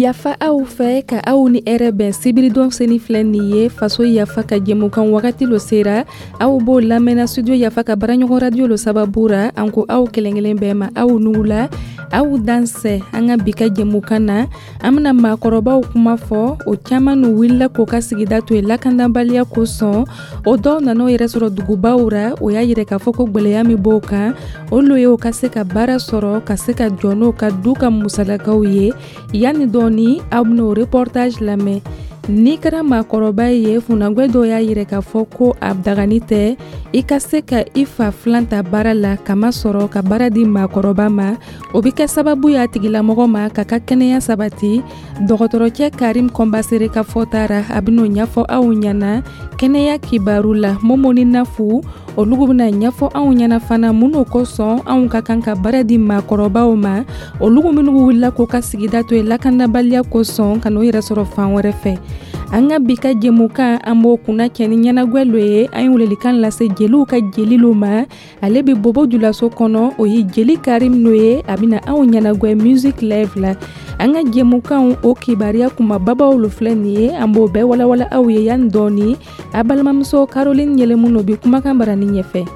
Yafa aw fɛ ka aw ni hɛrɛ bɛn sibiridon seni filɛ nin ye Faso Yafa ka jɛmukan wagati lo sera. Aw b'o lamɛnna studio Yafa ka baaraɲɔgɔn radio lo sababu ra. An ko aw kelen kelen bɛɛ ma aw ni wula, aw dansɛ. An ka bi ka jɛmukan na, an bɛna maakɔrɔbaw kuma fɔ. O caman n'u wulila k'o ka sigida to yen lakanabaliya kosɔn. O dɔw nan'o yɛrɛ sɔrɔ dugubaw ra. O y'a yira k'a fɔ ko gwɛlɛya min b'o kan, o lo ye o ka se ka baara sɔrɔ, ka se ka jɔ n'o ka du ka musalakaw ye. Yanni dɔɔni, aw ben'o reportage lamɛn. N'i kɛra maakɔrɔba ye, funankɛ dɔw y'a yira k'a fɔ ko a dagani tɛ i ka se ka i fa filan ta baara la, kamasɔrɔ ka baara di maakɔrɔba ma, o bɛ kɛ sababu y'a tigilamɔgɔ ma k'a ka kɛnɛya sabati. Dɔgɔtɔrɔcɛ Karim Kɔnbasere ka fɔta ra, a ben'o ɲɛfɔ aw ɲɛna kɛnɛya kibaru la. Momo ni Nafu olugu bena ɲɛfɔ anw ɲɛna fana mun n'o kosɔn anw ka kan ka baara di maakɔrɔbaw ma, olugu minnu wulila k'u ka sigida to yen lakanabaliya kosɔn ka n'o yɛrɛ sɔrɔ fan wɛrɛ fɛ. An ka bi ka jɛmukan, an b'o kunna cɛ ni ɲɛnagwɛ lo ye. An ye welelikan lase jeliw ka jeli lo ma. Ale bɛ Bobo Julaso kɔnɔ, o ye jeli Karim no ye. A bɛna anw ɲɛnagwɛ music live la. An ka jɛmukanw o kibaruya kumababaw lo filɛ nin ye. An b'o bɛɛ walawala aw ye yanni dɔɔni. A balimamuso Caroline Yɛlɛmu no bi kumakan barani ɲɛfɛ.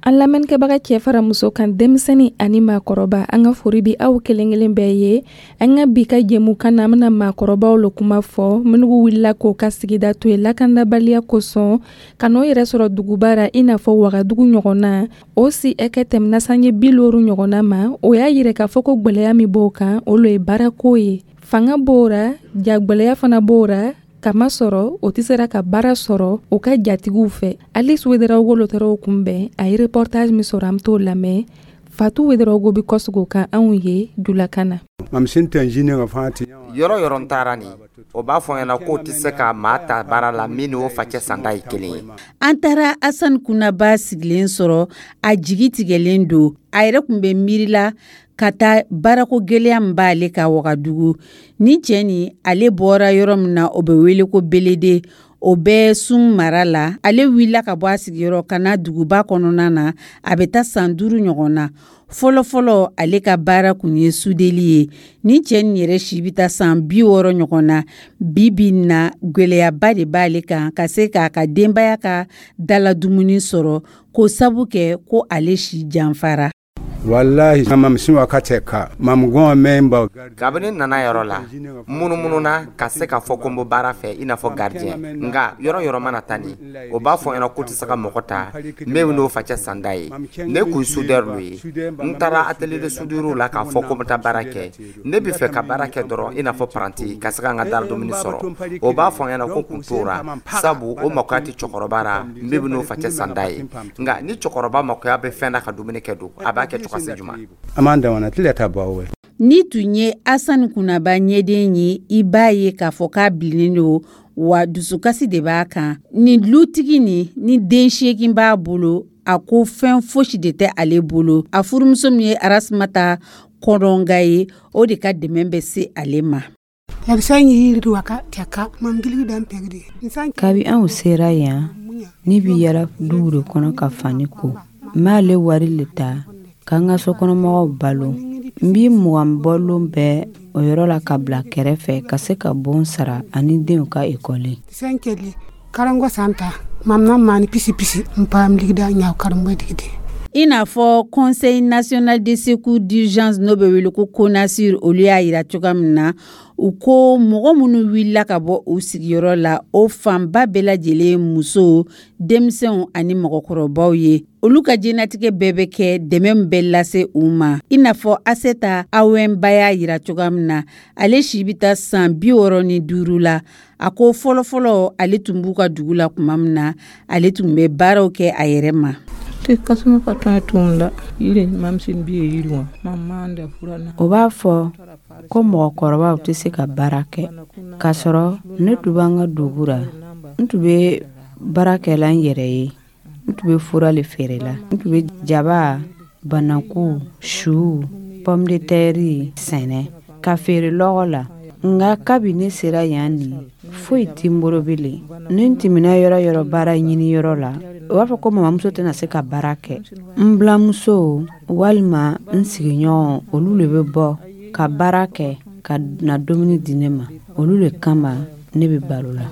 An lamɛnnikɛbaga cɛ fara muso kan, denmisɛnnin ani maakɔrɔba, an ka fori bi aw kelen kelen bɛɛ ye. An ka bi ka jɛmukan na, an bɛna maakɔrɔbaw lo kuma fɔ, minnu wulila k'o ka sigida to yen lakanabaliya kosɔn ka n'o yɛrɛ sɔrɔ duguba ra, i n'a fɔ Wagadugu ɲɔgɔn na. O si ɛkɛ tɛmɛna sange 50 ɲɔgɔnna ma. O y'a yira k'a fɔ ko gwɛlɛya min b'o kan, o lo ye baarako ye. Fanga b'o ra, ja gwɛlɛya fana b'o ra, kamasɔrɔ o tɛ sera ka baara sɔrɔ o ka jatigiw fɛ. Alice Wederawogo lo taara o kunbɛn. A ye reportage min sɔrɔ, an bɛ t'o lamɛn. Fatou Wederawogo bɛ kɔsegin o kan anw ye julakan na. Yɔrɔ yɔrɔ n taara nin, o b'a fɔ n ɲɛna k'o tɛ se ka maa ta baara la min n'o facɛ sanda ye kelen ye. An taara Asan Kunaba sigilen sɔrɔ, a jigi tigɛlen don. A yɛrɛ tun bɛ miiri la ka taa baarako gɛlɛya min b'ale ka Wagadugu. Ni cɛ nin, ale bɔra yɔrɔ min na, o bɛ wele ko Belede, o bɛ Sun mara la. Ale wulila ka bɔ a sigiyɔrɔ ka na duguba kɔnɔna na, a bɛ taa san 5 ɲɔgɔn na. Fɔlɔfɔlɔ ale ka baara kun ye sudeli ye. Ni cɛ nin yɛrɛ si bɛ taa san 60 ɲɔgɔn na. Bi bi in na, gɛlɛyaba de b'ale kan ka se k'a ka denbaya ka dala dumuni sɔrɔ, k'o sabu kɛ ko ale si janfara. Walahi mam sin wakati ka mam gɔn mɛn ba. Kabini nana yɔrɔ la, munumununa ka se k'a fɔ ko n bɛ baara fɛ i n'a fɔ gardien. Nka yɔrɔ yɔrɔ mana taa nin, o b'a fɔ n ɲɛna k'u tɛ se ka mɔgɔ ta min n'o facɛ sanda ye. Ne kun soudeur lo ye. N taara atelier de soudure la k'a fɔ ko n bɛ taa baara kɛ. Ne bɛ fɛ ka baara kɛ dɔrɔn i n'a fɔ apprenti, ka se ka n ka dara dumuni sɔrɔ. O b'a fɔ n ɲɛna ko kun t'o ra, sabu o makoya tɛ cɛkɔrɔba ra min bɛ n'o facɛ sanda ye. Nka ni cɛkɔrɔba makoya bɛ fɛn na ka dumuni kɛ don, a b'a kɛ cogo si juma. An b'an dan tile ta bɔ we. Ni tun ye Asan Kunaba ɲɛden ye, i b'a ye k'a fɔ k'a bilennen don, wa dusukasi de b'a kan. Nin dutigi nin, ni den 8 b'a bolo, a ko fɛn fosi de tɛ ale bolo. A furumuso min ye Arasumata Kɔnɔnga ye, o de ka dɛmɛ bɛ se ale ma. Kabi anw sera yan, ne bɛ yala duw de kɔnɔ ka fani ko. N b'ale wari le ta k'an ka sokɔnɔmɔgɔw balo. N b'i 20 bɔ lon bɛɛ o yɔrɔ la ka bila kɛrɛfɛ ka se ka bon sara ani denw ka ekɔli. I n'a fɔ Conseil national de secours d'urgence, n'o bɛ wele ko CONASUR, olu y'a yira cogoya min na, u ko mɔgɔ minnu wulila ka bɔ u sigiyɔrɔ la, o fanba bɛɛ lajɛlen musow, denmisɛnw ani mɔgɔkɔrɔbaw ye. Olu ka diɲɛnatigɛ bɛɛ bɛ kɛ dɛmɛ min bɛ lase u ma. I n'a fɔ Aseta Awɛnba y'a yira cogoya min na, ale si bɛ taa san 65 la. A ko fɔlɔfɔlɔ ale tun b'u ka dugu la tuma min na, ale tun bɛ baaraw kɛ a yɛrɛ ma. O b'a fɔ ko mɔgɔkɔrɔbaw tɛ se ka baara kɛ, k'a sɔrɔ ne tun b'an ka dugu ra, n tun bɛ baara kɛla n yɛrɛ ye. N tun bɛ fura le feere la. N tun bɛ jaba, banaku, su, pomme de terre sɛnɛ ka feere lɔgɔ la. Nka kabi ne sera yan nin, foyi tɛ n bolo bilen. Ni n tɛmɛna yɔrɔ yɔrɔ baara ɲini yɔrɔ la, u b'a fɔ ko mamamuso tɛna se ka baara kɛ. N bilamuso walima n sigiɲɔgɔn, olu le bɛ bɔ ka baara kɛ ka na dumuni di ne ma. Olu le kama ne bɛ balo la.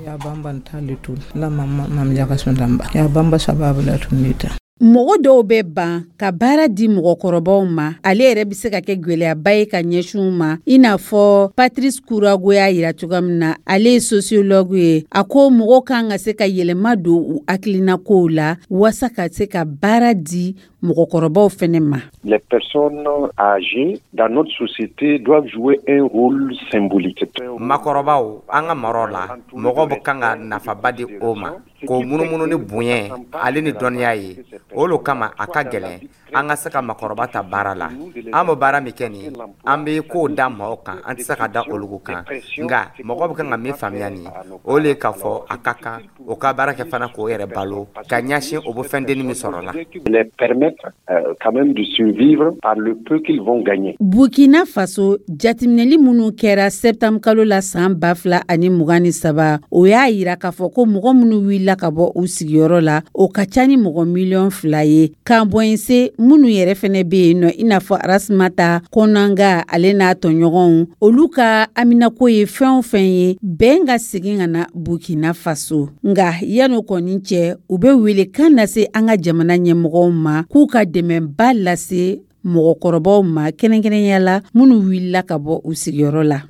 Mɔgɔ dɔw bɛ ban ka baara di mɔgɔkɔrɔbaw ma. Ale yɛrɛ bɛ se ka kɛ gɛlɛyaba ye ka ɲɛsin u ma, i n'a fɔ Patrice Kurago y'a yira cogoya min na. Ale ye sociologue ye. A ko mɔgɔw kan ka se ka yɛlɛma don u hakilinakow la waasa ka se ka baara di mɔgɔkɔrɔbaw fɛnɛ ma. Les personnes âgées dans notre société doivent jouer un rôle symbolique. Makɔrɔbaw, an ka maraw la, mɔgɔw bɛ kan ka nafaba di o ma, k'o munumunu ni bonya ale ni dɔnniya ye. O lo kama a ka gɛlɛn an ka se ka makɔrɔba ta baara la. An bɛ baara min kɛ nin, an bɛ kow da maaw kan, an tɛ se ka da olu kan. Nka mɔgɔ bɛ kan ka min faamuya nin, o le k'a fɔ a ka kan o ka baara kɛ fana k'o yɛrɛ balo ka ɲɛsin o bɛ fɛn dennin min sɔrɔ la. Les permettre quand même de survivre par le peu qu'ils vont gagner. Burkina Faso, jateminɛli minnu kɛra septembre kalo la san 2023, o y'a yira k'a fɔ ko mɔgɔ minnu wulila ka bɔ u sigiyɔrɔ la, o ka ca ni mɔgɔ miliyɔn 2 ye. Kanbɔnse minnu yɛrɛ fɛnɛ bɛ yen nɔ, i n'a fɔ Rasmata Kɔnanga, ale n'a tɔɲɔgɔnw, olu ka haminako ye fɛn o fɛn ye, bɛn ka segin ka na Burkina Faso. Nka yan'o kɔni cɛ, u bɛ welekan lase an ka jamana ɲɛmɔgɔw ma k'u ka dɛmɛba lase mɔgɔkɔrɔbaw ma, kɛrɛnkɛrɛnya la minnu wulila ka bɔ u sigiyɔrɔ la.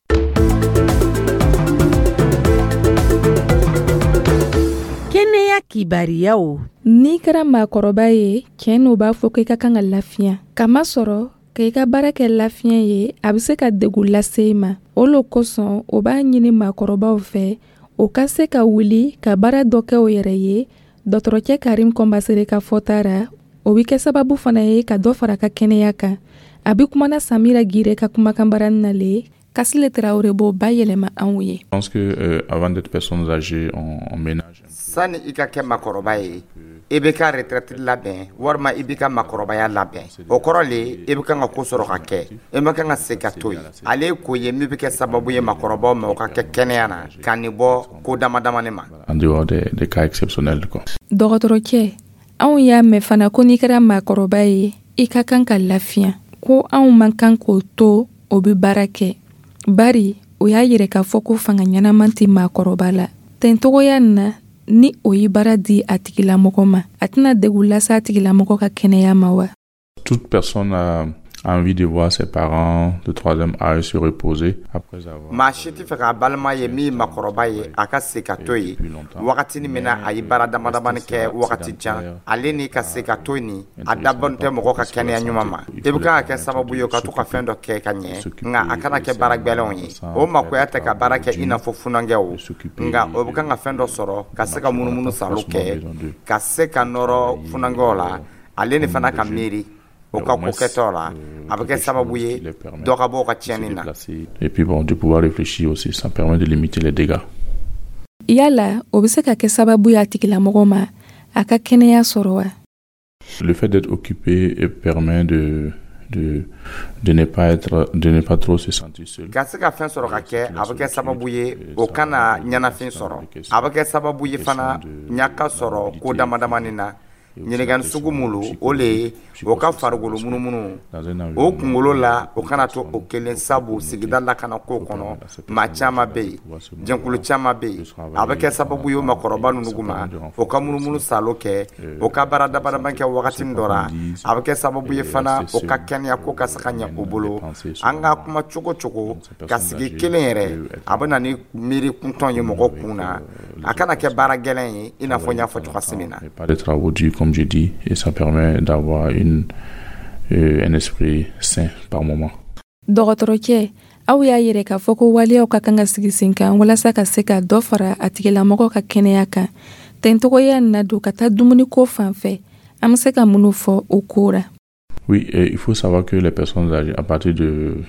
Kɛnɛya kibariyaw. N'i kɛra maakɔrɔba ye, tiɲɛ n'o b'a fɔ ko i ka kan ka lafiya. Kamasɔrɔ ka i ka baara kɛ lafiya ye, a bɛ se ka degun lase i ma. O lo kosɔn o b'a ɲini maakɔrɔbaw fɛ o ka se ka wuli ka baara dɔ kɛ o yɛrɛ ye. Dɔgɔtɔrɔcɛ Karim Kɔnbasere ka fɔta ra, o bɛ kɛ sababu fana ye ka dɔ fara ka kɛnɛya kan. A bɛ kumana Samira Gire ka kumakan barani na le. Kasile Tarawele b'o bayɛlɛma anw ye. Je pense que avant d'être personnes âgées, on ménage. Sani i ka kɛ makɔrɔba ye, i bɛ ka retraite labɛn walima i b'i ka makɔrɔbaya labɛn. O kɔrɔ le, i bɛ kan ka ko sɔrɔ ka kɛ, i ma kan ka se ka to yen. Ale ye ko ye min bɛ kɛ sababu ye makɔrɔbaw ma, o ka kɛ kɛnɛya na, ka nin bɔ ko dama damani ma. En dehors des cas exceptionnels, quoi. Dɔgɔtɔrɔcɛ, anw y'a mɛn fana ko n'i kɛra maakɔrɔba ye, i ka kan ka lafiya, ko anw man kan k'o to o bɛ baara kɛ, bari o y'a yɛrɛ k'a fɔ ko fanga ɲɛnaman tɛ maakɔrɔba la. Tɛntogoya nin na, ni o ye baara di a tigilamɔgɔ ma, a tɛna degun lase a tigilamɔgɔ ka kɛnɛya ma wa? Toute personne a envie de voir ses parents de troisième âge se reposer après avoir. Maa si tɛ fɛ k'a balima ye min makɔrɔba ye, a ka se ka to yen wagati min na a ye baara dama damani kɛ wagati jan. Ale ni ka se ka to nin, a dabɔn tɛ mɔgɔ ka kɛnɛya ɲuman ma. I bɛ kan ka kɛ sababu ye ka to ka fɛn dɔ kɛ ka ɲɛ, nka a kana kɛ baara gwɛlɛnw ye. O makoya tɛ ka baara kɛ i n'a fɔ funankɛw, nka o bɛ kan ka fɛn dɔ sɔrɔ ka se ka munumunu salo kɛ, ka se ka nɔrɔ funankɛw la, ale ni fana ka miiri o ka ko kɛtɔ la, a bɛ kɛ sababu ye dɔ ka bɔ o ka tiɲɛni na. Et puis bon, de pouvoir réfléchir aussi, ça permet de limiter les dégâts. Yala o bɛ se ka kɛ sababu ye a tigilamɔgɔ ma a ka kɛnɛya sɔrɔ wa? Le fait d'être occupé permet de ne pas être, de ne pas trop se sentir seul. Ka se ka fɛn sɔrɔ ka kɛ, a bɛ kɛ sababu ye o kana ɲɛnafin sɔrɔ. A bɛ kɛ sababu ye fana ɲaka sɔrɔ ko dama damani na. Ɲininkali sugu mun o le ye o ka farikolo munumunu o kunkolo la, o kana to o kelen, sabu sigida lakana ko kɔnɔ, maa caman bɛ yen, jɛnkulu caman bɛ yen. A bɛ kɛ sababu ye o makɔrɔba ninnu ma, o ka munumunu salo kɛ, o ka baara damadama kɛ wagati dɔ la. A bɛ kɛ sababu ye fana o ka kɛnɛya ko ka se ka ɲɛ o bolo. An ka kuma cogo cogo, ka sigi kelen yɛrɛ, a bɛ na ni miiri kuntɔn ye mɔgɔ kun na. A kana kɛ baara gɛlɛn ye, i n'a fɔ n y'a fɔ cogoya min na. Pas de travaux durs, comme j'ai dit, et ça permet d'avoir un esprit sain par moment. Dɔgɔtɔrɔcɛ, aw y'a yɛrɛ k'a fɔ ko waleyaw ka kan ka sigi sen kan walasa ka se ka dɔ fara a tigilamɔgɔ ka kɛnɛya kan. Tɛntogoya na don ka taa dumuniko fan fɛ, an bɛ se ka minnu fɔ o ko ra? Oui, et il faut savoir que les personnes âgées, à partir du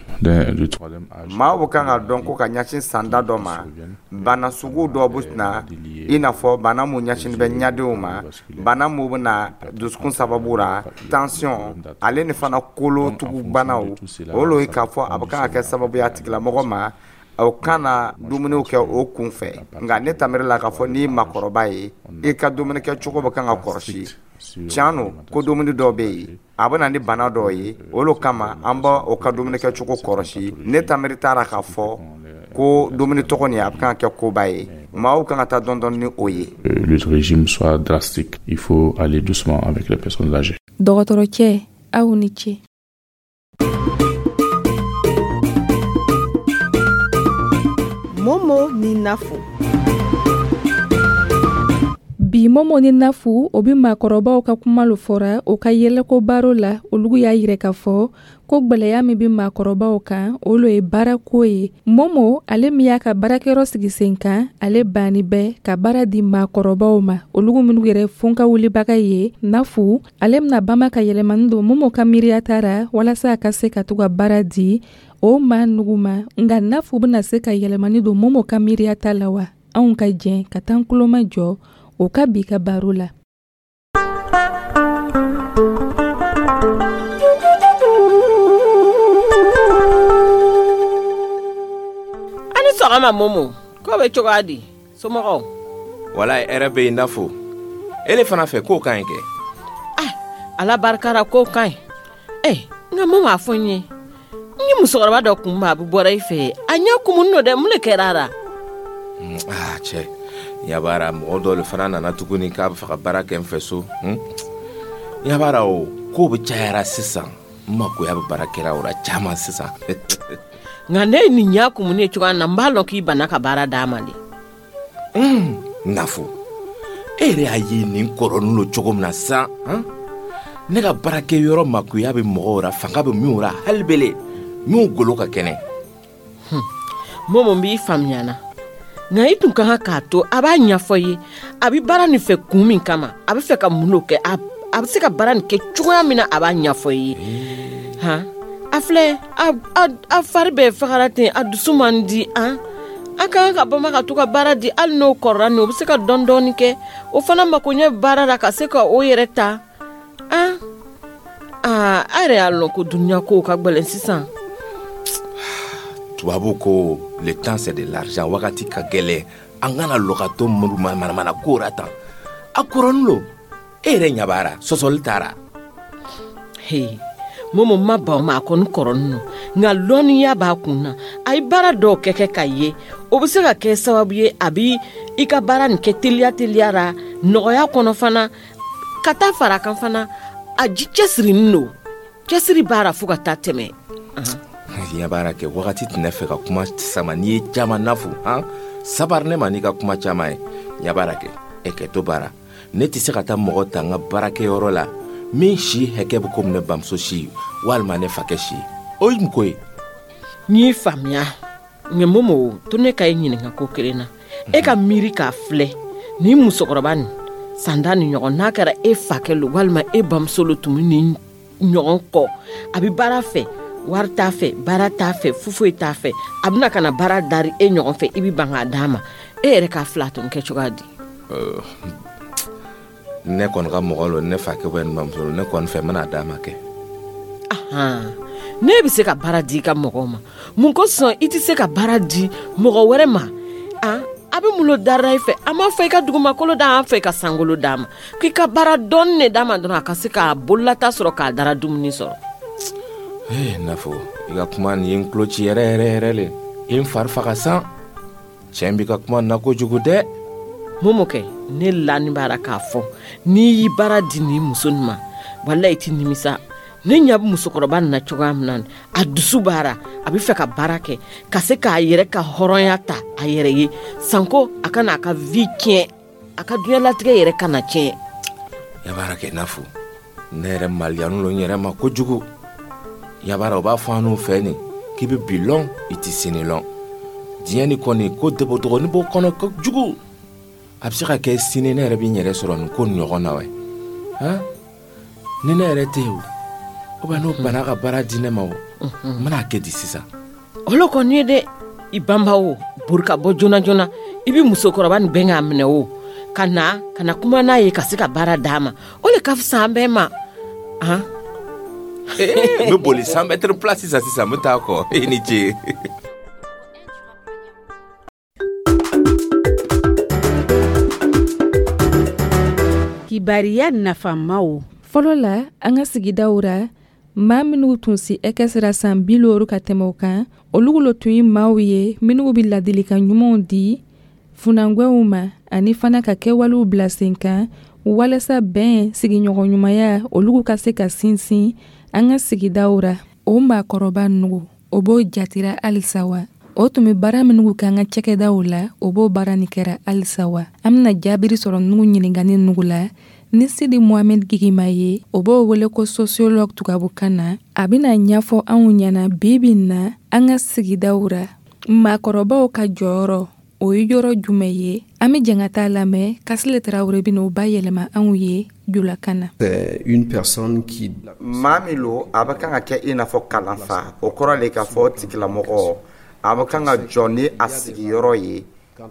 troisième âge. Maaw bɛ kan ka dɔn ko ka ɲɛsin sanda dɔ ma, bana sugu dɔ bɛ na, i n'a fɔ bana mun ɲɛsin bɛ ɲadenw ma, bana mun bɛ na dusukun sababu la, tension, ale ni fana kolo tugubanaw. O lo ye k'a fɔ a bɛ kan ka kɛ sababu ye a tigilamɔgɔ ma, Aw kana dumuniw kɛ o kun fɛ, nka ne tamiri la k'a fɔ n'i makɔrɔba ye, i ka dumunikɛ cogo bɛ kan ka kɔlɔsi. Tiɲɛ don ko dumuni dɔw bɛ yen, a bɛ na ni bana dɔw ye, olu kama an b'a o ka dumunikɛ cogo kɔlɔsi. Ne tamiri taara k'a fɔ ko dumuni tɔgɔ nin, a bɛ kan ka kɛ koba ye, maaw kan ka taa dɔɔni dɔɔni ni o ye. Le régime soit drastique, il faut aller doucement avec les personnes âgées. Dɔgɔtɔrɔcɛ, aw ni ce. Momo ni Nafu. Bi Momo ni Nafu, o bɛ maakɔrɔbaw ka kuma lo fɔra o ka yɛlɛko baro la. Olu y'a yira k'a fɔ ko gwɛlɛya min bɛ maakɔrɔbaw kan, o lo ye baarako ye. Momo, ale min y'a ka baarakɛyɔrɔ sigi sen kan, ale banni bɛ ka baara di maakɔrɔbaw ma, olu minnu yɛrɛ fonka wulibaga ye. Nafu, ale bɛna bama ka yɛlɛmani don Momo ka miiriya ta ra walasa a ka se ka to ka baara di o maa nugu ma. Nka Nafu bɛna se ka yɛlɛmani don Momo ka miiriya ta la wa? Anw ka jɛn ka taa kuloma jɔ o ka bi ka baro la. Ani sɔgɔma Momo, ko bɛ cogoya di? Somɔgɔw? Wala hɛrɛ bɛ yen Nafo. Ele fana fɛ k'o ka ɲi kɛ? Ah, Ala barika ra, k'o ka ɲi. Nka Momo, a fɔ n ye, n ye musokɔrɔba dɔ kun bɛ, a bɛ bɔra i fɛ, a ɲɛ kumunin don dɛ, mun de kɛra a la? Ah cɛ, yabara mɔgɔ dɔ de fana nana tuguni k'a bɛ fɛ ka baara kɛ n fɛ so. Yabara o ko bɛ cayara sisan, n makoya bɛ baarakɛla o la caman sisan. Nka ne ye nin ɲɛ kumunin ye cogoya min na, n b'a lɔn k'i banna ka baara d'a ma de. Nafo, e yɛrɛ y'a ye nin kɔrɔnin lo cogo min na sisan, ne ka baarakɛyɔrɔ makoya bɛ mɔgɔw la, fanga bɛ minw la hali bele, minw golo ka kɛnɛ. Momo, n b'i faamuya na, nka i tun ka kan k'a to a b'a ɲɛfɔ i ye a bɛ baara nin fɛ kun min kama, a bɛ fɛ ka mun de kɛ, a bɛ se ka baara nin kɛ cogoya min na, a b'a ɲɛfɔ i ye. Han, a filɛ, a fari bɛɛ fagara ten, a dusu man di. An a ka kan ka bama ka to ka baara di, hali n'o kɔrɔla nin, o bɛ se ka dɔɔni dɔɔni kɛ, o fana makoɲɛ baara la ka se ka o yɛrɛ ta. An aa, a yɛrɛ y'a lɔn ko dunuya kow ka gɛlɛn sisan. Tubabu ko le temps c'est de l'argent, wagati ka gɛlɛn, an kana lɔ ka to manamana ko ra tan. A kɔrɔnin lo, e yɛrɛ ɲɛ b'a ra, sɔsɔli taara. He, Momo, ma ban o ma, a kɔni kɔrɔnin don, nka lɔnniya b'a kun na. A ye baara dɔw kɛ ka ye, o bɛ se ka kɛ sababu ye a bɛ i ka baara nin kɛ teliya teliya la, nɔgɔya kɔnɔ fana, ka taa fara kan fana. A ji cɛsirinin don, cɛsiri b'a la fo ka taa tɛmɛ. Ɲɛ baara kɛ wagati tɛ ne fɛ ka kuma sama n'i ye caman Nafu, han sabari ne ma n'i ka kuma caman ye. Ɲɛ baara kɛ, e kɛ to baara. Ne tɛ se ka taa mɔgɔ ta n ka baarakɛyɔrɔ la min si hakɛ bɛ komi ne bamuso si walima ne fakɛ si, o ye mun ko ye? N y'i faamuya, nka Momo, to ne ka e ɲininka ko kelen na. E ka miiri k'a filɛ, nin musokɔrɔba nin sanda ni ɲɔgɔn, n'a kɛra e fakɛ lo walima e bamuso lo tun bɛ nin ɲɔgɔn kɔ, a bɛ baara fɛ, wari t'a fɛ, baara t'a fɛ, foyi t'a fɛ, a bɛna ka na baara dari e ɲɔgɔn fɛ, i bɛ ban k'a d'a ma, e yɛrɛ k'a fila tun kɛ cogoya di? Ne kɔni ka mɔgɔ lo, ne fakɛ bɛ ne bamuso lo, ne kɔni fɛ n bɛna d'a ma kɛ. Ne bɛ se ka baara di i ka mɔgɔw ma, mun kosɔn i tɛ se ka baara di mɔgɔ wɛrɛ ma? A bɛ mun dara i fɛ? A m'a fɔ i ka dugumakolo d'a fɛ, i ka sankolo d'a ma, k'i ka baara dɔɔni de d'a ma dɔrɔn, a ka se k'a bololata sɔrɔ, k'a dara dumuni sɔrɔ. Ee Nafo, i ka kuma nin ye n tulo ci yɛrɛ yɛrɛ yɛrɛ le, i ye n fari faga san. Tiɲɛ b'i ka kuma na kojugu dɛ. Momo kɛ, ne lani b'a la k'a fɔ n'i y'i baara di nin muso nin ma, walayi i tɛ nimisa. Ne ɲɛ bɛ musokɔrɔba nin na cogoya min na, a dusu b'a la, a bɛ fɛ ka baara kɛ ka se k'a yɛrɛ ka hɔrɔnya ta a yɛrɛ ye, sanko a kana a ka vie tiɲɛ, a ka diɲɛlatigɛ yɛrɛ kana tiɲɛ. Yabara kɛ Nafo, ne yɛrɛ maliyani lo n yɛrɛ ma kojugu. Yabara o b'a fɔ an n'u fɛ nin k'i bɛ bi lɔn, i tɛ sini lɔn. Diɲɛ nin kɔni ko dɔgɔnin b'o kɔnɔ kojugu. A bɛ se ka kɛ sini ne yɛrɛ bɛ n yɛrɛ sɔrɔ nin ko ɲɔgɔn na wɛ. Han, ni ne yɛrɛ tɛ yen o, bɛ n'o bana ka baara di ne ma o, n bɛna kɛ di sisan? Olu kɔni ye dɛ, i banba o, bori ka bɔ joona joona, i bɛ musokɔrɔba nin bɛn k'a minɛ o, ka na kuma n'a ye ka se ka baara d'a ma, o de ka fisa an bɛɛ ma. Han? N bɛ boli 100 mètres place sisan sisan, n bɛ taa kɔ. I ni ce. Kibariya nafamaw. Fɔlɔ la, an ka sigidaw ra, maa minnu tun si hakɛ sera san 50 ka tɛmɛ o kan, olu lo tun ye maaw ye minnu bɛ ladilikan ɲumanw di funankɛw ma, ani fana ka kɛwalew bila sen kan walasa bɛn, sigiɲɔgɔnɲumanya, olu ka se ka sinsin an ka sigidaw ra. O maakɔrɔba nugu, o b'o jatira halisa wa? O tun bɛ baara minnu kɛ an ka cakɛdaw la, o b'o baara nin kɛra halisa wa? An bɛna jaabiri sɔrɔ nugu ɲininkani nugu la ni Sidi Mohamed Gigima ye, o b'o wele ko sociologue tubabukan na. A bɛna ɲɛfɔ anw ɲɛna bi bi na, an ka sigidaw ra, maakɔrɔbaw ka jɔyɔrɔ o ye yɔrɔ jumɛn ye. An bɛ jɛn ka taa lamɛn. Kasile Tarawele bɛna o bayɛlɛma anw ye julakan na. Une personne qui Maa min lo, a bɛ kan ka kɛ i n'a fɔ kalanfa, o kɔrɔ le k'a fɔ tigilamɔgɔ a bɛ kan ka jɔ ni a sigiyɔrɔ ye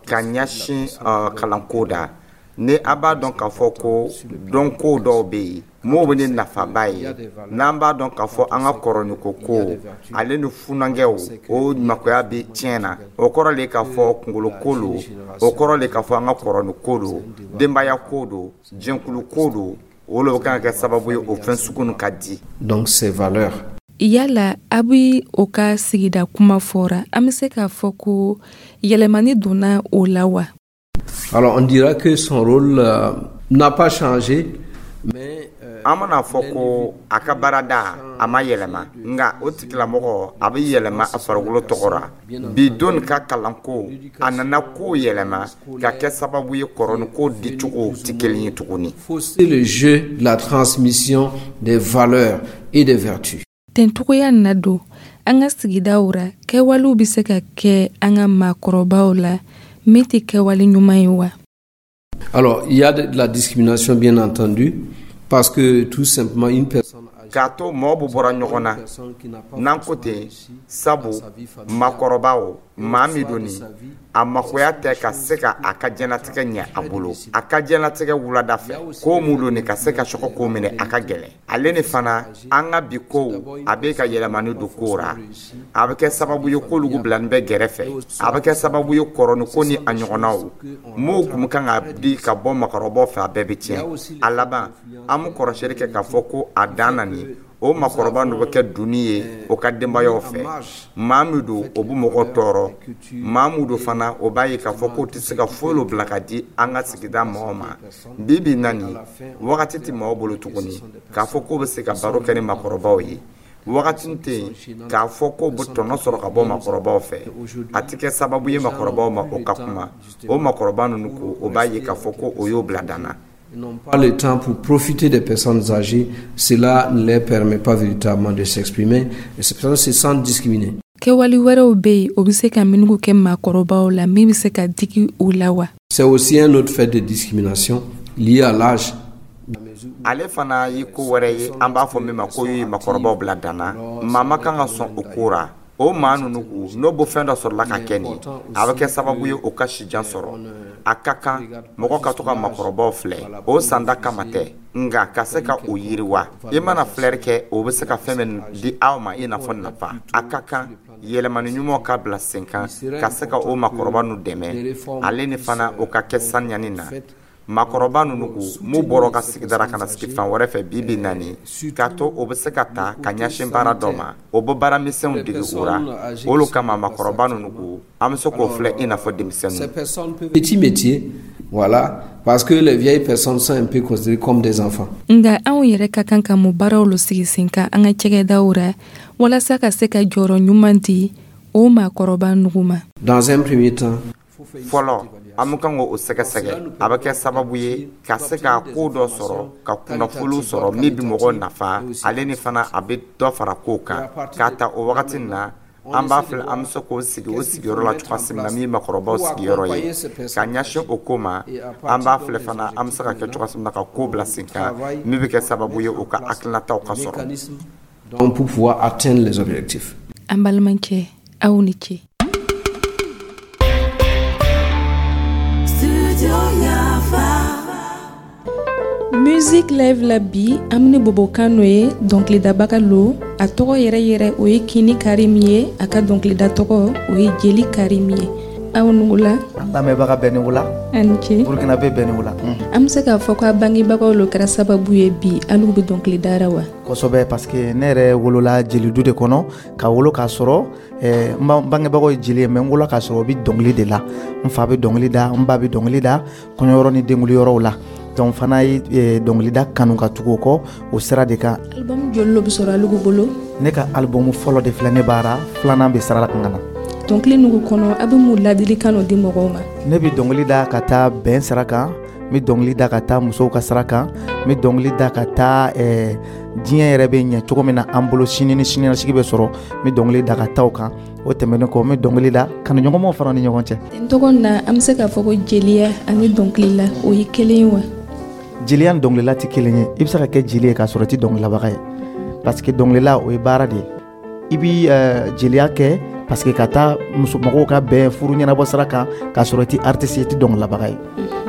ka ɲɛsin kalanko da. Ni a b'a dɔn k'a fɔ ko dɔnko dɔw bɛ yen, m'o bɛ ni nafaba ye, n'an b'a dɔn k'a fɔ an ka kɔrɔniko ko ale ni funankɛw, o makoya bɛ tiɲɛ na, o kɔrɔ le k'a fɔ kunkoloko lo, o kɔrɔ le k'a fɔ an ka kɔrɔniko lo, denbaya ko do, jɛnkulu ko do, o le bɛ kan ka kɛ sababu ye o fɛn sugu nin ka di. Donc ces valeurs. Yala a bi o ka sigida kuma fɔra, an bɛ se k'a fɔ ko yɛlɛmani donna o la wa? Alors, on dira que son rôle n'a pas changé, mais An mana fɔ ko a ka baarada a ma yɛlɛma, nka o tigilamɔgɔ a bɛ yɛlɛma a farikolo tɔgɔ ra. Bi don ka kalanko, a nana ko yɛlɛma ka kɛ sababu ye kɔrɔniko dicogo tɛ kelen ye tuguni. Fausser le jeu de la transmission des valeurs et des vertus. Tencogoya na don an ka sigidaw ra, kɛwalew bɛ se ka kɛ an ka maakɔrɔbaw la min tɛ kɛwale ɲuman ye wa? Alors, il y a de la discrimination, bien entendu, parce que tout simplement une personne K'a to mɔgɔ bɛ bɔra ɲɔgɔn na n'an ko ten, sabu maakɔrɔbaw, maa min don nin a makoya tɛ ka se ka a ka diɲɛlatigɛ ɲɛ a bolo, a ka diɲɛlatigɛ wulada fɛ ko mun don nin ka se ka sɔgɔ k'o minɛ, a ka gɛlɛn. Ale ni fana, an ka bi kow a bɛ ka yɛlɛmani don kow ra, a bɛ kɛ sababu ye k'olu bilani bɛ gɛrɛfɛ, a bɛ kɛ sababu ye kɔrɔniko ni a ɲɔgɔnnaw m'o kun kan ka di ka bɔ makɔrɔbaw fɛ, a bɛɛ bɛ tiɲɛ. A laban, an bɛ kɔrɔsiyɛli kɛ k'a fɔ ko a dan na nin, o makɔrɔba ninnu bɛ kɛ doni ye o ka denbayaw fɛ. Maa min don, o bɛ mɔgɔ tɔɔrɔ. Maa min don fana, o b'a ye k'a fɔ k'o tɛ se ka foyi lo bila ka di an ka sigida mɔgɔw ma. Bi bi na nin wagati tɛ mɔgɔw bolo tuguni k'a fɔ k'o bɛ se ka baro kɛ ni makɔrɔbaw ye. Wagati tɛ yen k'a fɔ k'o bɛ tɔnɔ sɔrɔ ka bɔ makɔrɔbaw fɛ. A tɛ kɛ sababu ye makɔrɔbaw ma o ka kuma. O makɔrɔba ninnu ko, o b'a ye k'a fɔ ko o y'o bila dan na. N'ont pas le temps pour profiter des personnes âgées, cela ne les permet pas véritablement de s'exprimer et ces personnes se sentent discriminées. Kɛwale wɛrɛw bɛ yen, o bɛ se ka minnu kɛ maakɔrɔbaw la min bɛ se ka digi u la wa? C'est aussi un autre fait de discrimination lié à l'âge. Ale fana ye ko wɛrɛ ye, an b'a fɔ min ma ko ye makɔrɔbaw bila dan na. Maa ma kan ka sɔn o ko ra. O maa ninnu ko n'o bɔ fɛn dɔ sɔrɔla ka kɛ nin, a bɛ kɛ sababu ye o ka sijan sɔrɔ. A ka kan mɔgɔ ka to ka makɔrɔbaw filɛ, o sanda kama tɛ, nka ka se ka o yiriwa. I mana filɛri kɛ, o bɛ se ka fɛn min di aw ma i n'a fɔ nafa. A ka kan yɛlɛmani ɲumanw ka bila sen kan ka se ka o makɔrɔba ninnu dɛmɛ, ale ni fana o ka kɛ saniyani na. Maakɔrɔba ninnu ko m'u bɔra ka sigidara ka na sigi fan wɛrɛ fɛ bi bi naani, k'a to o bɛ se ka ta ka ɲɛsin baara dɔ ma, o bɛ baara misɛnw dege o ra. Olu kama, maakɔrɔba ninnu ko, an bɛ se k'o filɛ i n'a fɔ denmisɛnninw. Petit métier, voilà, parce que les vieilles personnes sont un peu considérées comme des enfants. Nka anw yɛrɛ ka kan ka mun baaraw lo sigi sen kan an ka cakɛdaw ra walasa ka se ka jɔyɔrɔ ɲuman di o maakɔrɔba nugu ma? Dans un premier temps, Fɔlɔ, an bɛ kan k'o sɛgɛsɛgɛ, a bɛ kɛ sababu ye ka se ka ko dɔ sɔrɔ, ka kunnafoniw sɔrɔ min bɛ mɔgɔw nafa, ale ni fana a bɛ dɔ fara kow kan. K'a ta o wagati nin na, an b'a filɛ an bɛ se k'o sigi o sigiyɔrɔ la cogoya min na, min ye makɔrɔbaw sigiyɔrɔ ye ka ɲɛsin o ko ma. An b'a filɛ fana, an bɛ se ka kɛ cogoya min na ka ko bila sen kan min bɛ kɛ sababu ye o ka hakilinataw ka sɔrɔ. Donc pour pouvoir atteindre les objectifs. An balimakɛ, aw ni ce. Musique Live la bi, an bɛ ni bobokan n'o ye, dɔnkilidabaga lo. A tɔgɔ yɛrɛ yɛrɛ, o ye Kini Karim ye. A ka dɔnkilida tɔgɔ, o ye Jeli Karim ye. Aw ni wula. An lamɛnbaga bɛɛ ni wula. A ni ce. Burukina bɛɛ ni wula. An bɛ se k'a fɔ ko a bangebagaw lo kɛra sababu ye bi alu bɛ dɔnkili dara wa? Kosɛbɛ, parce que ne yɛrɛ wolola jelidu de kɔnɔ, ka wolo k'a sɔrɔ n bangebagaw ye jeli ye, mais n wolola k'a sɔrɔ u bɛ dɔnkili de la. N fa bɛ dɔnkili da, n ba bɛ dɔnkili da kɔɲɔyɔrɔ ni denkunliyɔrɔw la. Donc fana ye dɔnkilida kanu ka tugu o kɔ o sira de kan. Album joli lo bɛ sɔrɔ alugu bolo? Ne ka album fɔlɔ de filɛ ne baara, filanan bɛ sira la kan ka na. Dɔnkili nugu kɔnɔ, a bɛ mun ladilikan di mɔgɔw ma? Ne bɛ dɔnkili da ka taa bɛn sira kan, n bɛ dɔnkili da ka taa musow ka sira kan, n bɛ dɔnkili da ka taa diɲɛ yɛrɛ bɛ ɲɛ cogo min na an bolo, sini ni siniɲɛsigi bɛ sɔrɔ, n bɛ dɔnkili da ka taa o kan. O tɛmɛnen kɔ, n bɛ dɔnkili da kanuɲɔgɔnmaw fana ni ɲɔgɔn cɛ. N tɔgɔ na, an bɛ se k'a fɔ ko jeliya ani dɔnkili la, o ye kelen ye wa? Jeliya ni dɔnkilila tɛ kelen ye. I bɛ se ka kɛ jeli ye k'a sɔrɔ i tɛ dɔnkililabaga ye, parce que dɔnkilila o ye baara de ye. I bɛ jeliya kɛ parce que ka taa muso mɔgɔw ka bɛn furu ɲɛnabɔ sira kan k'a sɔrɔ i tɛ artiste ye, i tɛ dɔnkililabaga ye.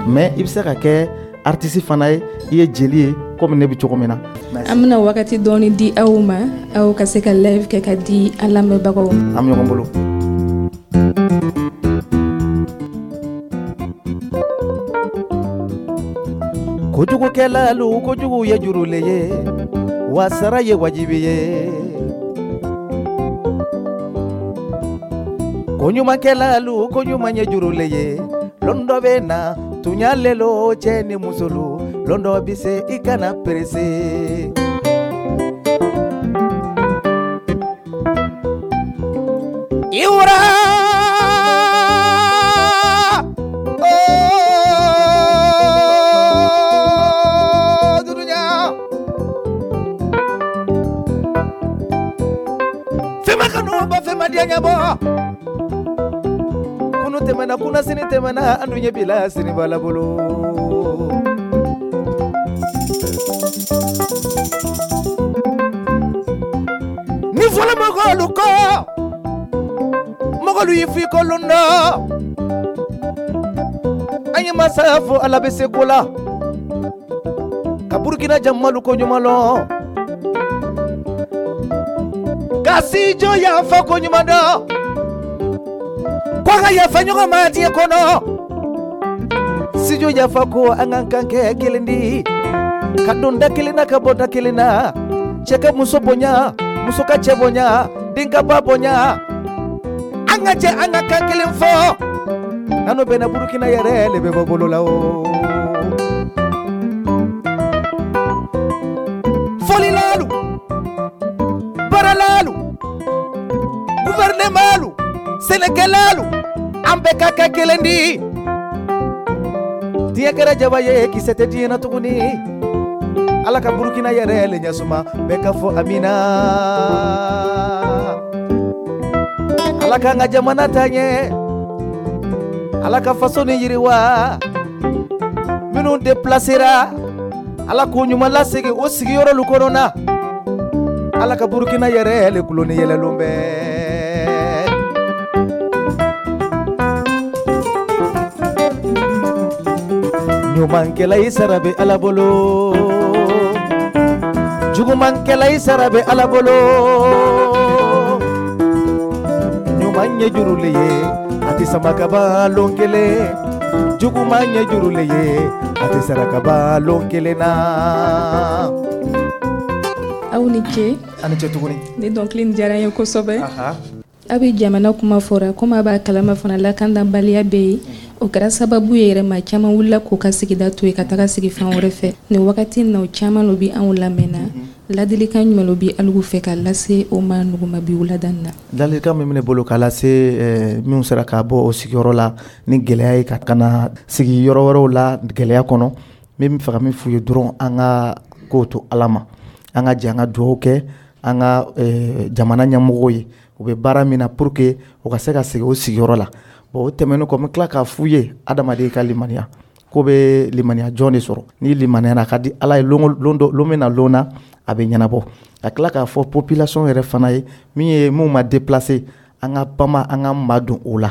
Mais i bɛ se ka kɛ artiste fana ye, i ye jeli ye komi ne bɛ cogo min na. An bɛna wagati dɔɔni di aw ma, aw ka se ka live kɛ ka di an lamɛnbagaw ma. An bɛ ɲɔgɔn bolo. Kojugukɛlalu, kojugu ye juru le ye, wa sara ye wajibi ye. Koɲumankɛlalu, koɲuman ye juru le ye, lon dɔ bɛ na tuɲa lelo cɛ ni musolu, lon dɔ bɛ se i kana perese. Iwura dunuya fɛn kanu bɔ, fɛn ma diya ɲɛbɔ. Kunu tɛmɛna, kunna sini tɛmɛna, an dun ɲɛ b'i la sini b'a la bolo. Ni fɔlɔ mɔgɔlu kɔ, mɔgɔlu y'i f'i kolon dɔ. An ye masa fo, Ala bɛ se ko la, ka Burukina jamalu ko ɲuman lɔn, ka si jɔ yafa ko ɲuman dɔn, ko ka yafa ɲɔgɔn ma diɲɛ kɔnɔ. Studio yafa ko an ka kan kɛ kelen di, ka don da kelen na, ka bɔ da kelen na, cɛ ka muso bonya, muso ka cɛ bonya, den ka ba bonya, an ka jɛ an ka kan kelen fɔ, n'an bɛnna Burukina yɛrɛ le bɛ bɔ bolo la o. Fɔlilalu, baaralalu, gouvernementlu, sɛnɛkɛlalu, an bɛɛ ka kɛ kelen di. Diɲɛ kɛra jaba ye, kisɛ tɛ diɲɛ na tuguni. Ala ka Burukina yɛrɛ le ɲɛsuma, bɛɛ ka fɔ amina. Ala k'an ka jamana taa ɲɛ, Ala ka faso ni yiriwa. Minnu déplacera, Ala k'u ɲuman lasegin o sigiyɔrɔlu kɔnɔ na. Ala ka Burukina yɛrɛ le kulo ni yɛlɛlon bɛɛ. Ɲumankɛla i sara bɛ Ala bolo, jugumankɛla i sara bɛ Ala bolo. Ɲuman ye juru le ye, a tɛ sama ka ban lon kelen. Juguman ye juru le ye, a tɛ sara ka ban lon kelen na. Aw ni ce. A ni ce tuguni. Ni dɔnkili in diyara n ye kosɛbɛ. A bɛ jamana kuma fɔra, komi a b'a kalama fana lakanabaliya bɛ yen. O kɛra sababu ye yɛrɛ, maa caman wulila k'u ka sigida to yen ka taga sigi fan wɛrɛ fɛ. Nin wagati in na, o caman lo bɛ anw lamɛnna. Ladilikan jumɛn lo bɛ alugu fɛ ka lase o ma nuguma bi wulada in na? Ladilikan min bɛ ne bolo ka lase minnu sera ka bɔ o sigiyɔrɔ la ni gɛlɛya ye, ka na sigi yɔrɔ wɛrɛw la gɛlɛya kɔnɔ, n bɛ fɛ ka min f'u ye dɔrɔn, an ka kow to Ala ma, an ka jɛ an ka dugawu kɛ an ka jamana ɲɛmɔgɔw ye, u bɛ baara min na pour que u ka se ka segin o sigiyɔrɔ la. Bon, o tɛmɛnen kɔ, n bɛ tila k'a f'u ye, adamaden ka limaniya ko bɛ limaniya jɔn de sɔrɔ. N'i limaniyara, a ka di Ala ye, lon lon bɛ na lon na a bɛ ɲɛnabɔ. Ka tila k'a fɔ population yɛrɛ fana ye, min ye mun ma déplacer, an ka bama, an ka madon o la,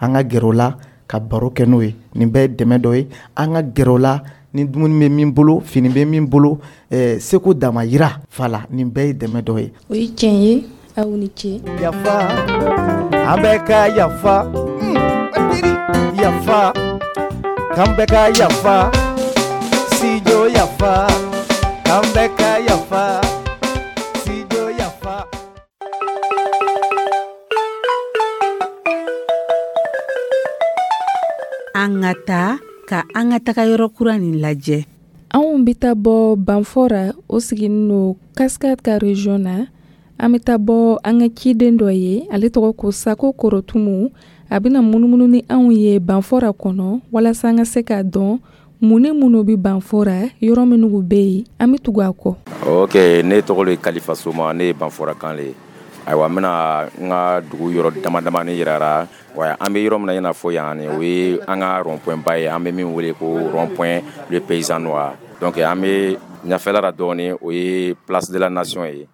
an ka gɛrɛ o la ka baro kɛ n'o ye. Nin bɛɛ ye dɛmɛ dɔ ye. An ka gɛrɛ o la ni dumuni bɛ min bolo, fini bɛ min bolo, seko damayira fala, nin bɛɛ ye dɛmɛ dɔ ye. O ye tiɲɛ ye. Aw ni ce. Yafa, an bɛɛ ka yafa. yafa, k'an bɛɛ ka yafa, Studio yafa, k'an bɛɛ ka yafa, Studio yafa. An ka taa ka an ka taga yɔrɔ kura nin lajɛ. Anw bɛ taa bɔ Banfora, o siginin no Cascade ka region na. An bɛ taa bɔ an ka ciden dɔ ye, ale tɔgɔ ko Sako Korotumu. A bɛna munumunu ni anw ye Banfora kɔnɔ walasa an ka se k'a dɔn mun ni minnu bɛ Banfora, yɔrɔ minnu bɛ yen. An bɛ tugu a kɔ. Ok, ne tɔgɔ le Kalifa Soma, ne ye Banfora kan le ye. Ayiwa, n bɛna n ka dugu yɔrɔ dama damani yira. Wa an bɛ yɔrɔ min na i n'a fɔ yan, o ye an ka rond-point ba ye, an bɛ min wele ko rond-point le paysan noir. Donc an bɛ ɲɛfɛla la dɔɔni, o ye place de la nation ye.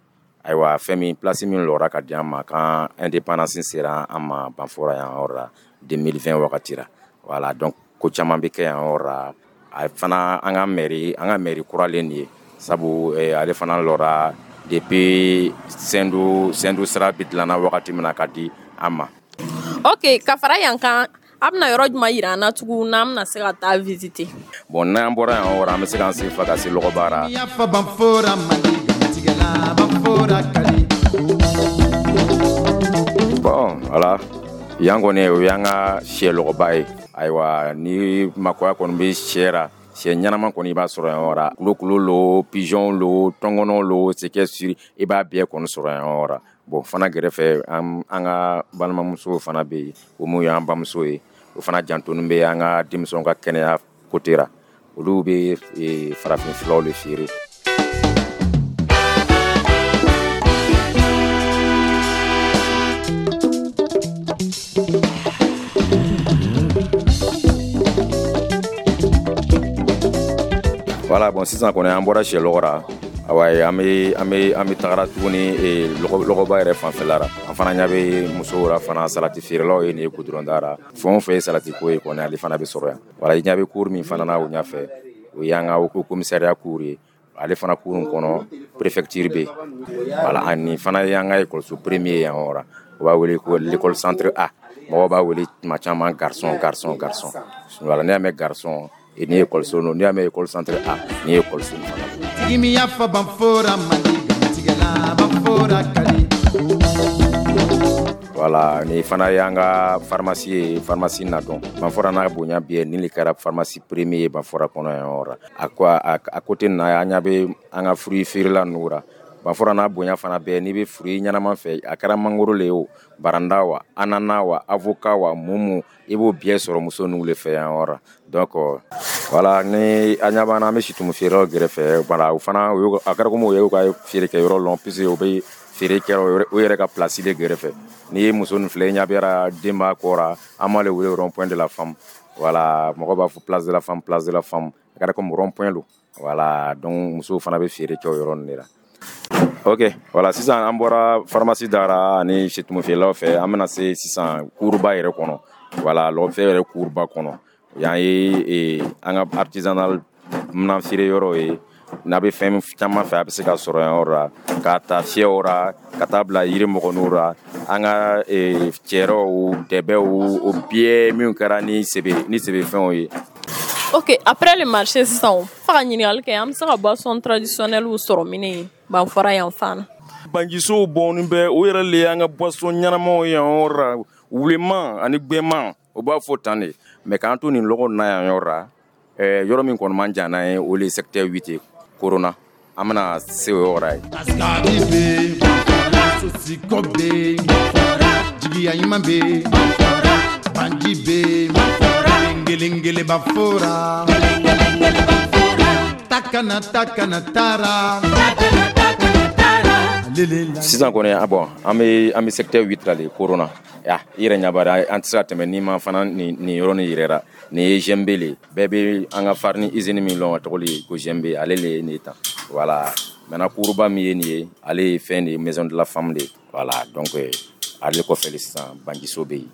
Ayiwa, fɛn min place min lɔra ka di an ma kan indépendance sera an ma Banfora yan yɔrɔ la 2020 wagati la. Voilà, donc ko caman bɛ kɛ yan yɔrɔ la. A fana an ka mairie kuralen nin ye, sabu ale fana lɔra depuis Sendou sira bɛ dilanna wagati min na ka di an ma. Ok, ka fara yan kan, a bɛna yɔrɔ jumɛn yira an na tugun n'an bɛna se ka taa visiter? Bon, n'an bɔra yan yɔrɔ, an bɛ se k'an sen fa ka se Lɔgɔbara. Bon, voilà, yan kɔni o y'an ka sɛ lɔgɔba ye. Ayiwa, ni makoya kɔni bɛ sɛ ra, sɛ ɲɛnama kɔni i b'a sɔrɔ yan yɔrɔ. Kulokulu lo, pigeon lo, tɔngɔnɔ lo, c'est que sûr i b'a bɛɛ kɔni sɔrɔ yan yɔrɔ. Bon, fana gɛrɛfɛ an ka balimamusow fana bɛ yen, o mun y'an bamuso ye, o fana jantonin bɛ an ka denmisɛnw ka kɛnɛya côté ra. Olu bɛ farafin furaw de feere. Voilà, bon, sisan kɔni an bɔra sɛ lɔgɔ ra. Awa, an bɛ tagara tuguni lɔgɔba yɛrɛ fanfɛla la. An fana ɲɛ bɛ musow la fana, salati feerelaw ye nin ye goudron da la. Fɛn o fɛn ye salati ko ye kɔni, ale fana bɛ sɔrɔ yan. Voilà, i ɲɛ bɛ cour min fana na o ɲɛfɛ, o y'an ka haut commissariat cour ye. Ale fana cour in kɔnɔ, préfecture bɛ yen. Voilà, ani fana y'an ka école premier yan yɔrɔ la. O b'a wele ko l'école centre A. Mɔgɔw b'a wele tuma caman garçon, garçon, garçon. Voilà, n'i y'a mɛn garçon, ni ye école so, n'i y'a mɛn école centre A, ni ye école so fana. Voilà, ni fana y'an ka pharmacie ye, pharmacie na dɔn. Banfora n'a bonya bi ni le kɛra pharmacie premier ye Banfora kɔnɔ yan yɔrɔ. A côté na, an ɲɛ bɛ an ka fruit feerela ninnu ra. Banfora n'a bonya fana bɛɛ, n'i bɛ fruit ɲɛnama fɛ, a kɛra mangoro le ye o, baranda wa, ananas wa, avocat wa, mumu, i b'o bɛɛ sɔrɔ muso ninnu le fɛ yan yɔrɔ. Donc voilà, ni an ɲɛ b'an na, an bɛ situmu feerelaw gɛrɛfɛ. Voilà, o fana a kɛra komi o y'u ka feere kɛ yɔrɔ lɔn, puisque o bɛ feere kɛ o yɛrɛ ka place de gɛrɛfɛ. N'i ye muso nin filɛ, i ɲɛ bɛ den b'a kɔ ra, an b'ale wele rond point de la femme. Voilà, mɔgɔ b'a fɔ place de la femme, place de la femme, a kɛra komi rond point lo. Voilà, donc musow fana bɛ feere kɛ o yɔrɔ nin de la. Ok, voilà, sisan an bɔra pharmacie dara ani situmu feerelaw fɛ, an bɛna se sisan kuruba yɛrɛ kɔnɔ. Voilà, lɔgɔfɛ yɛrɛ kuruba kɔnɔ. Yan ye an ka artisanal minan feere yɔrɔ ye. N'a bɛ fɛn caman fɛ, a bɛ se ka sɔrɔ yan yɔrɔ la, k'a ta fiyɛw ra, ka taa bila yiri mɔgɔninw ra, an ka cɛrɛw, dɛbɛw, o bɛɛ minnu kɛra ni sebe fɛnw ye. Ok, après le marché sisan, fo ka ɲininkali kɛ, an bɛ se ka boisson traditionnelle sɔrɔ min ye Banfora yan fan na? Banjisow bɔnnen bɛ, o yɛrɛ le y'an ka boisson ɲɛnamaw ye yan yɔrɔ la, wuleman ani gbɛman, o b'a fɔ tan de. Mais k'an to nin lɔgɔ na yan yɔrɔ la, yɔrɔ min kɔni man jan n'an ye, o le ye secteur 8 ye, Corona. An bɛna se o yɔrɔ ye. Jigiya ɲuman bɛ, banji bɛ, kelen Banfora, takana takana taara. Sisan kɔni, bon, an bɛ secteur 8 la de, Corona. Ya, i yɛrɛ ɲɛ b'a la, an tɛ se ka tɛmɛ n'i ma fana nin yɔrɔ nin yɛrɛ la. Nin ye GMB le, bɛɛ bɛ an ka farine usine min lɔn, a tɔgɔ le ko GMB, ale le ye nin ye tan. Voilà, maintenant kuruba min ye nin ye, ale ye fɛn de ye, maison de la femme de. Voilà, donc ale kɔfɛ de sisan banjiso bɛ yen.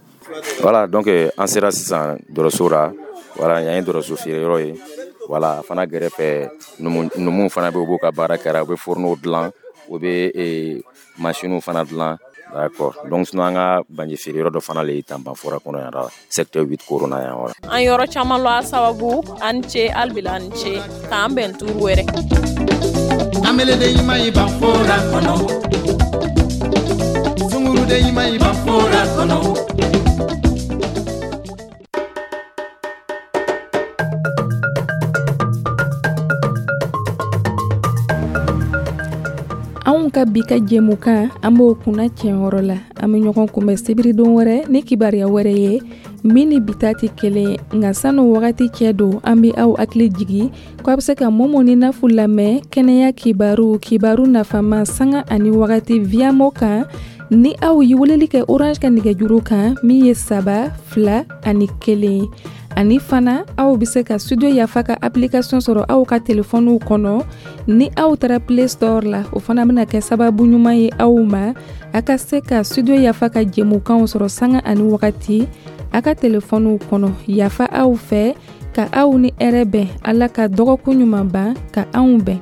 Voilà, donc an sera sisan dɔrɔso la. Voilà, yan ye dɔrɔso feere yɔrɔ ye. Voilà, a fana gɛrɛfɛ numuw fana bɛ, u b'u ka baara kɛra, u bɛ fourneau dilan, u bɛ machines fana dilan. D'accord. Donc sinon an ka banji feere yɔrɔ dɔ fana le ye tan Banfora kɔnɔ yan la, secteur 8 Corona yan yɔrɔ. An yɔrɔ caman lɔ a sababu. An ce halibila, an ce, k'an bɛn turu wɛrɛ. Ameleden ɲuman ye Banfora kɔnɔ, sunguruden ɲuman ye Banfora kɔnɔ. Anw ka bi ka jɛmukan, an b'o kunna cɛyɔrɔ la. An bɛ ɲɔgɔn kunbɛn sibiridon wɛrɛ ni kibaruya wɛrɛ ye min ni bi ta tɛ kelen ye. Nka sanu wagati cɛ don, an bɛ aw hakili jigi ko a bɛ se ka Momo ni Nafu lamɛn kɛnɛya kibaru, kibaru nafama, sanga ani wagati Viamo kan, ni aw ye weleli kɛ Orange ka nɛgɛjuru kan min ye 3 2 1. Ani fana, aw bɛ se ka Studio Yafa ka application sɔrɔ aw ka telefɔniw kɔnɔ ni aw taara Play Store la. O fana bɛna kɛ sababu ɲuman ye aw ma a ka se ka Studio Yafa ka jɛmukanw sɔrɔ sanga ani wagati a ka telefɔniw kɔnɔ. Yafa aw fɛ, ka aw ni hɛrɛ bɛn. Ala ka dɔgɔkun ɲuman ban ka anw bɛn.